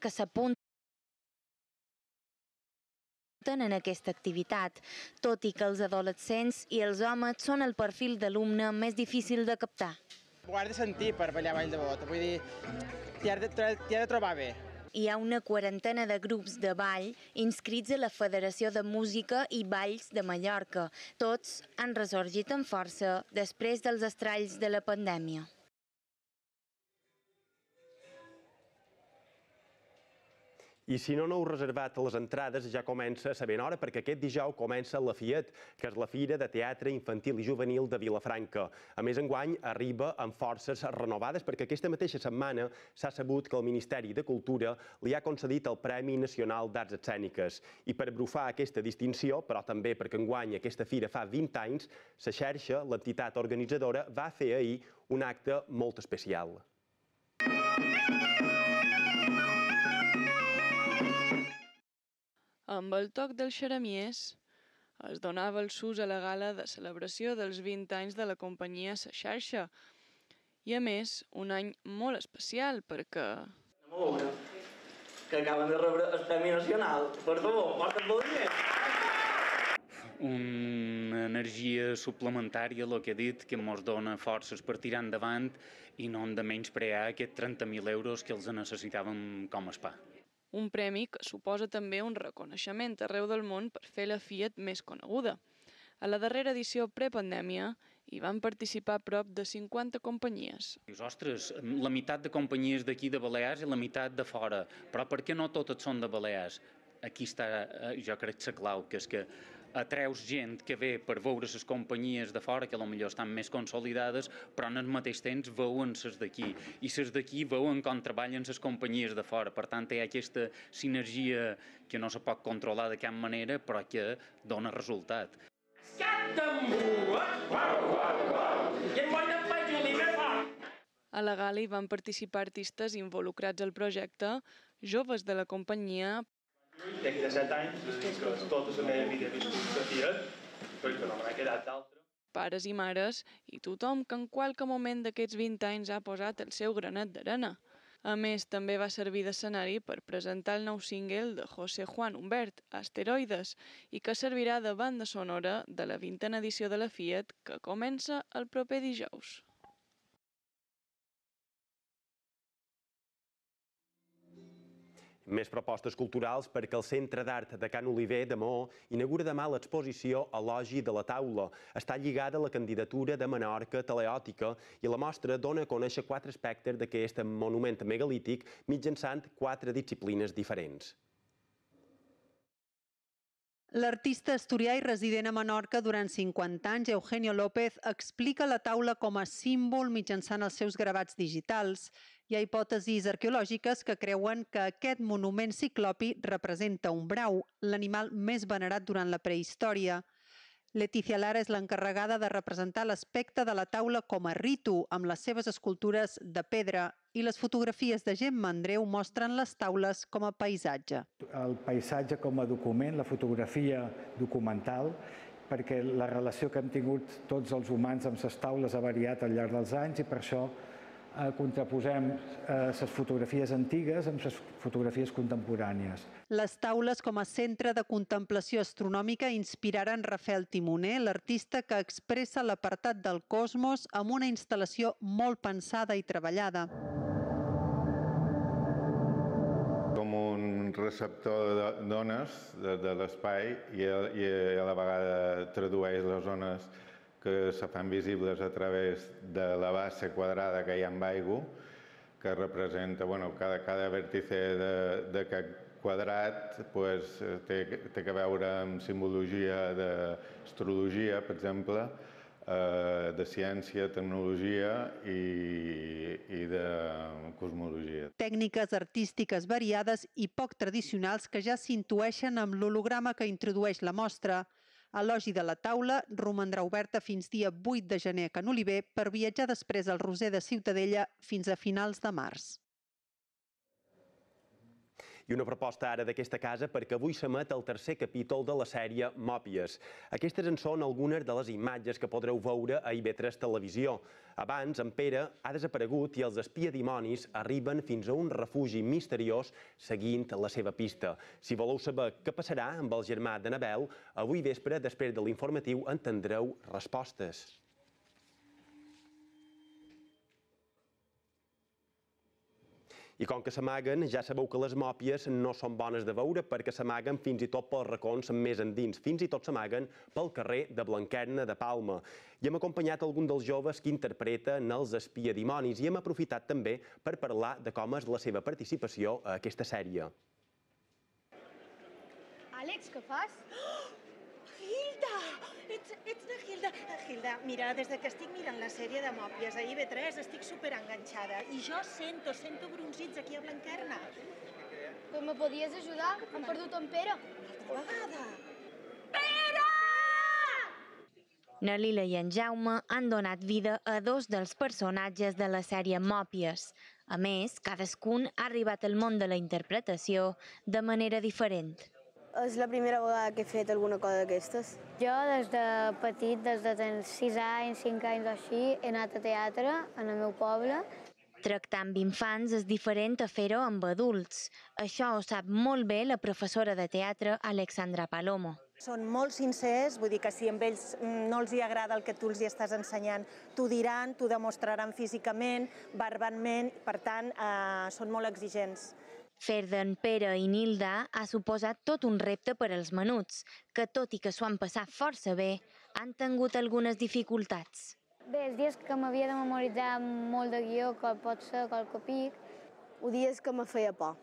que s'apunten en aquesta activitat, tot i que els adolescents i els homes són el perfil d'alumne més difícil de captar. Ho has de sentir per ballar Ball de Bota, vull dir, t'hi has de trobar bé. Hi ha una quarantena de grups de ball inscrits a la Federació de Música i Balls de Mallorca. Tots han ressorgit amb força després dels estralls de la pandèmia. I si no heu reservat les entrades, ja comença a ser ben hora, perquè aquest dijous comença la FIET, que és la Fira de Teatre Infantil i Juvenil de Vilafranca. A més, enguany arriba amb forces renovades, perquè aquesta mateixa setmana s'ha sabut que el Ministeri de Cultura li ha concedit el Premi Nacional d'Arts Escèniques. I per brufar aquesta distinció, però també perquè enguany aquesta fira fa 20 anys, la xarxa, l'entitat organitzadora, va fer ahir un acte molt especial. Amb el toc dels xeramies es donava el sus a la gala de celebració dels 20 anys de la companyia Sa Xarxa. I a més, un any molt especial perquè... Anem a veure que acaben de rebre el Premi Nacional. Per favor, porta't aplaudiments. Una energia suplementària, el que he dit, que ens dona forces per tirar endavant i no hem de menysprear aquests 30.000 euros que els necessitàvem com a SPA. Un premi que suposa també un reconeixement arreu del món per fer la FIET més coneguda. A la darrera edició prepandèmia hi van participar prop de 50 companyies. Dius, ostres, la meitat de companyies d'aquí de Balears i la meitat de fora, però per què no totes són de Balears? Aquí està, jo crec, la clau, que és que atreus gent que ve per veure les companyies de fora, que potser estan més consolidades, però en el mateix temps veuen les d'aquí. I les d'aquí veuen com treballen les companyies de fora. Per tant, hi ha aquesta sinergia que no se pot controlar de cap manera, però que dona resultat. A la gala hi van participar artistes involucrats al projecte, joves de la companyia. Tinc 17 anys, és a dir que tota la meva vida he viscut la FIET, perquè no m'ha quedat d'altra. Pares i mares i tothom que en qualque moment d'aquests 20 anys ha posat el seu granet d'arena. A més, també va servir d'escenari per presentar el nou single de José Juan Humbert, Asteroides, i que servirà de banda sonora de la 20a edició de la FIET que comença el proper dijous. Més propostes culturals perquè el Centre d'Art de Can Oliver de Maó inaugura demà l'exposició Elogi de la Taula. Està lligada a la candidatura de Menorca Teleòtica i la mostra dona a conèixer 4 aspectes d'aquest monument megalític mitjançant 4 disciplines diferents. L'artista asturià i resident a Menorca durant 50 anys, Eugenio López, explica la taula com a símbol mitjançant els seus gravats digitals. Hi ha hipòtesis arqueològiques que creuen que aquest monument ciclopi representa un brau, l'animal més venerat durant la prehistòria. Letícia Lara és l'encarregada de representar l'aspecte de la taula com a ritu, amb les seves escultures de pedra, i les fotografies de Gemma Andreu mostren les taules com a paisatge. El paisatge com a document, la fotografia documental, perquè la relació que hem tingut tots els humans amb les taules ha variat al llarg dels anys i per això contraposem les fotografies antigues amb les fotografies contemporànies. Les taules com a centre de contemplació astronòmica inspiraren Rafael Timoner, l'artista que expressa l'apartat del cosmos amb una instal·lació molt pensada i treballada. Com un receptor d'ones de l'espai i a la vegada tradueix les ones que se fan visibles a través de la base quadrada que hi ha amb aigua, que representa, cada vèrtice d'aquest quadrat té que veure amb simbologia d'astrologia, per exemple, de ciència, tecnologia i de cosmologia. Tècniques artístiques variades i poc tradicionals que ja s'intueixen amb l'holograma que introdueix la mostra. Elogi de la taula romandrà oberta fins dia 8 de gener a Can Oliver per viatjar després al Roser de Ciutadella fins a finals de març. I una proposta ara d'aquesta casa perquè avui s'emet el tercer capítol de la sèrie Mòpies. Aquestes en són algunes de les imatges que podreu veure a IB3 Televisió. Abans, en Pere ha desaparegut i els espiadimonis arriben fins a un refugi misteriós seguint la seva pista. Si voleu saber què passarà amb el germà d'Annabel, avui vespre, després de l'informatiu, entendreu respostes. I com que s'amaguen, ja sabeu que les mòpies no són bones de veure perquè s'amaguen fins i tot pels racons més endins. Fins i tot s'amaguen pel carrer de Blanquerna de Palma. I hem acompanyat algun dels joves que interpreten els espiadimonis i hem aprofitat també per parlar de com és la seva participació a aquesta sèrie. Àlex, què fas? Hilda! Ets de Hilda. Hilda, mira, des que estic mirant la sèrie de Mòpies a IB3 estic superenganxada i jo sento bronzits aquí a Blanquerna. Però me podies ajudar? Hem perdut en Pere. Altra vegada. Pere! Na Lila i en Jaume han donat vida a dos dels personatges de la sèrie Mòpies. A més, cadascun ha arribat al món de la interpretació de manera diferent. És la primera vegada que he fet alguna cosa d'aquestes. Jo, des de petit, des de 6 anys, 5 anys o així, he anat a teatre en el meu poble. Tractar amb infants és diferent a fer-ho amb adults. Això ho sap molt bé la professora de teatre Alexandra Palomo. Són molt sincers, vull dir que si amb ells no els agrada el que tu els estàs ensenyant, t'ho diran, t'ho demostraran físicament, verbalment, per tant, són molt exigents. Fer d'en Pere i Nilda ha suposat tot un repte per als menuts, que tot i que s'ho han passat força bé, han tingut algunes dificultats. Bé, els dies que m'havia de memoritzar molt de guió, que pot ser qualque pic. Dies que me feia por.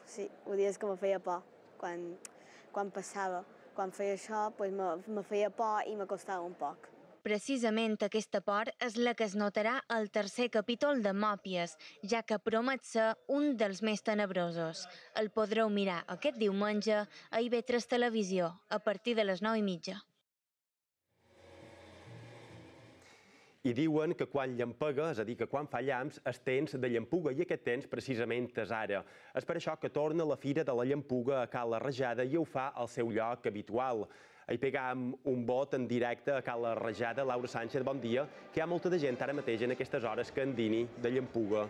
Sí, dies que me feia por. Quan passava, quan feia això, me feia por i m'acostava un poc. Precisament aquesta por és la que es notarà al tercer capítol de Mòpies, ja que promet ser un dels més tenebrosos. El podreu mirar aquest diumenge a IB3 Televisió, a partir de les 9:30. I diuen que quan llampega, és a dir, que quan fa llamps, és temps de llampuga, i aquest temps precisament és ara. És per això que torna la Fira de la Llampuga a Cala Rajada i ho fa al seu lloc habitual. Hi pegam un vot en directe a Cala Rajada. Laura Sánchez, bon dia. Que hi ha molta de gent ara mateix en aquestes hores que endini de llampuga.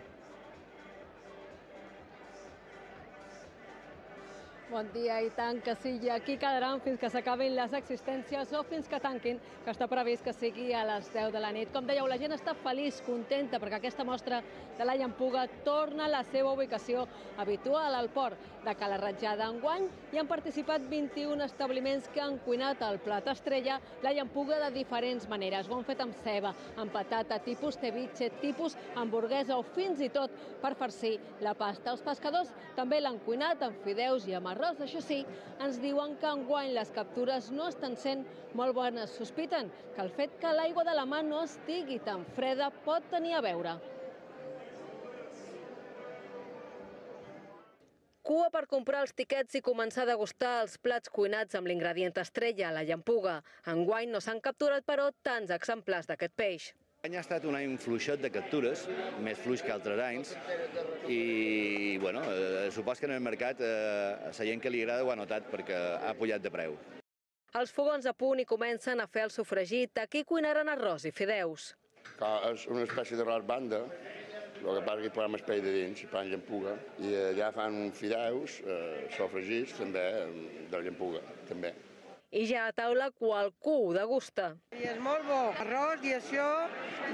Bon dia, i tant que sí. I aquí quedaran fins que s'acabin les existències o fins que tanquin, que està previst que sigui a les 10 de la nit. Com dèieu, la gent està feliç, contenta, perquè aquesta mostra de la llampuga torna a la seva ubicació habitual al port de Cala Rajada. Enguany hi han participat 21 establiments que han cuinat el plat estrella, la llampuga de diferents maneres. Ho han fet amb ceba, amb patata, tipus ceviche, tipus hamburguesa o fins i tot per farcir la pasta. Els pescadors també l'han cuinat amb fideus i amb arròs. Això sí, ens diuen que enguany les captures no estan sent molt bones. Sospiten que el fet que l'aigua de la mar no estigui tan freda pot tenir a veure. Cua per comprar els tiquets i començar a degustar els plats cuinats amb l'ingredient estrella, la llampuga. Enguany no s'han capturat, però, tants exemplars d'aquest peix. L'any ha estat un any fluixet de captures, més fluix que altres anys, i bueno, supos que en el mercat a la gent que li agrada ho ha notat perquè ha pujat de preu. Els fogons a punt i comencen a fer el sofregit. Aquí cuinaran arròs i fideus. És una espècie d'arròs banda, el que passa que hi posem el peix de dins, hi posem llampuga, i allà fan fideus, sofregits també, de la llampuga, també. I ja a taula qualcú ho degusta. I és molt bo, arròs i això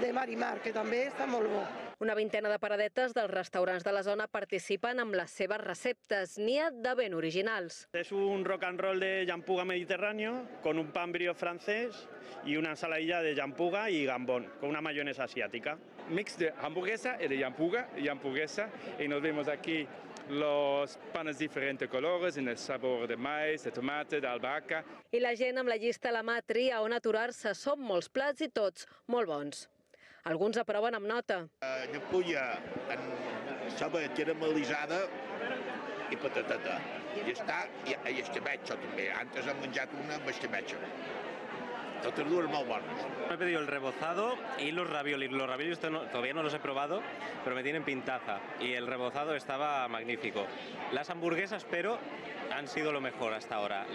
de marimar, que també està molt bo. Una vintena de paradetes dels restaurants de la zona participen amb les seves receptes, n'hi ha de ben originals. Es un rock and roll de llampuga mediterráneo con un pan brie francés y una ensaladilla de llampuga y gambón con una mayonesa asiática. Mix de hamburguesa y de llampuga y nos vemos aquí los panes de diferentes colores, en el sabor de maíz, de tomate, de albahaca. I la gent amb la llista a la mà tria on aturar-se. Són molts plats i tots molt bons. Alguns aproven amb nota. Llampuga en ceba caramelitzada i patateta. I està, i escabeig també. Antes hem menjat una amb escabeig. totes dues molt bones. Me he pedido el rebozado y los raviolis. Los raviolis todavía no los he probado, pero me tienen pintaza. Y el rebozado estaba magnífico. Las hamburguesas, pero han sido lo mejor hasta ahora.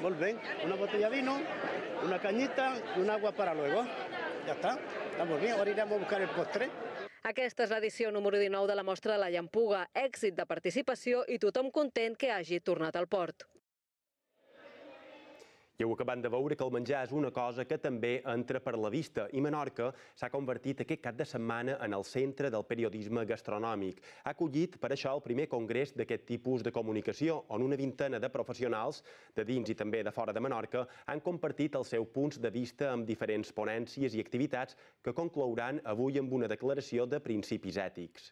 Molt bé, una botella de vino, una cañita y un agua para luego. Ya está, estamos bien. Ahora iremos a buscar el postre. Aquesta és l'edició número 19 de la mostra de la Llampuga. Èxit de participació i tothom content que hagi tornat al port. I heu acabat de veure que el menjar és una cosa que també entra per la vista i Menorca s'ha convertit aquest cap de setmana en el centre del periodisme gastronòmic. Ha acollit per això el primer congrés d'aquest tipus de comunicació, on una vintena de professionals de dins i també de fora de Menorca han compartit els seus punts de vista amb diferents ponències i activitats que conclouran avui amb una declaració de principis ètics.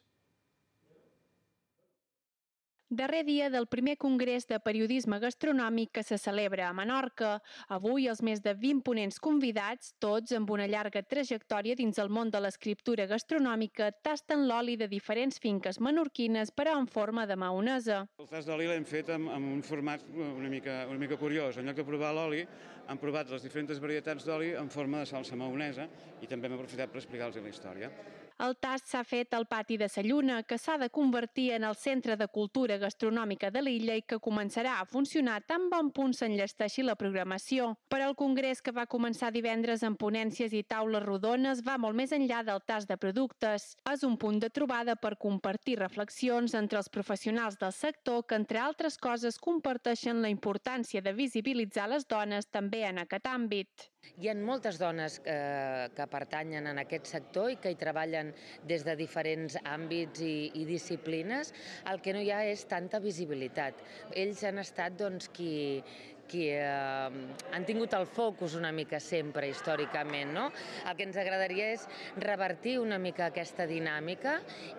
Darrer dia del primer congrés de periodisme gastronòmic que se celebra a Menorca. Avui els més de 20 ponents convidats, tots amb una llarga trajectòria dins el món de l'escriptura gastronòmica, tasten l'oli de diferents finques menorquines, però en forma de maonesa. El tast d'oli l'hem fet amb un format una mica curiós. En lloc de provar l'oli, han provat les diferents varietats d'oli en forma de salsa maonesa i també hem aprofitat per explicar-los la història. El tast s'ha fet al pati de Sa Lluna, que s'ha de convertir en el centre de cultura gastronòmica de l'illa i que començarà a funcionar tan bon punt s'enllesteixi la programació. Per al congrés, que va començar divendres amb ponències i taules rodones, va molt més enllà del tast de productes. És un punt de trobada per compartir reflexions entre els professionals del sector que, entre altres coses, comparteixen la importància de visibilitzar les dones també en aquest àmbit. Hi ha moltes dones que pertanyen en aquest sector i que hi treballen des de diferents àmbits i disciplines. El que no hi ha és tanta visibilitat. Ells han estat qui han tingut el focus una mica sempre, històricament, no? El que ens agradaria és revertir una mica aquesta dinàmica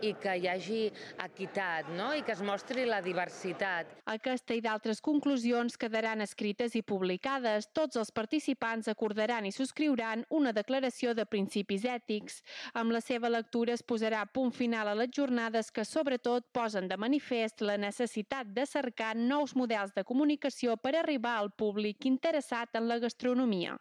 i que hi hagi equitat, no? I que es mostri la diversitat. Aquesta i d'altres conclusions quedaran escrites i publicades. Tots els participants acordaran i subscriuran una declaració de principis ètics. Amb la seva lectura es posarà punt final a les jornades que sobretot posen de manifest la necessitat de cercar nous models de comunicació per arribar al públic interessat en la gastronomia.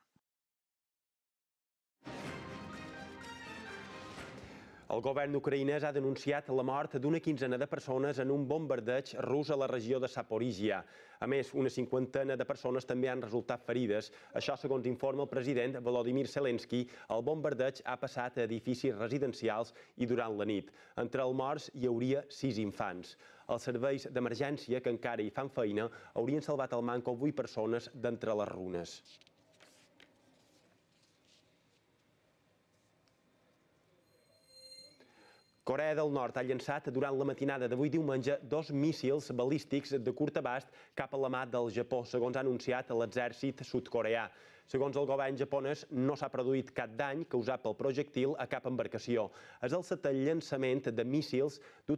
El govern ucraïnès ha denunciat la mort d'una quinzena de persones en un bombardeig rus a la regió de Zaporizhia. A més, una cinquantena de persones també han resultat ferides. Això, segons informa el president Volodymyr Zelensky, el bombardeig ha passat a edificis residencials i durant la nit. Entre els morts hi hauria 6 infants. Els serveis d'emergència, que encara hi fan feina, haurien salvat al manco 8 persones d'entre les runes. Corea del Nord ha llançat durant la matinada d'avui diumenge 2 míssils balístics de curt abast cap a la mar del Japó, segons ha anunciat l'exèrcit sud-coreà. Segons el govern japonès, no s'ha produït cap dany causat pel projectil a cap embarcació. És el setè llançament de míssils dut a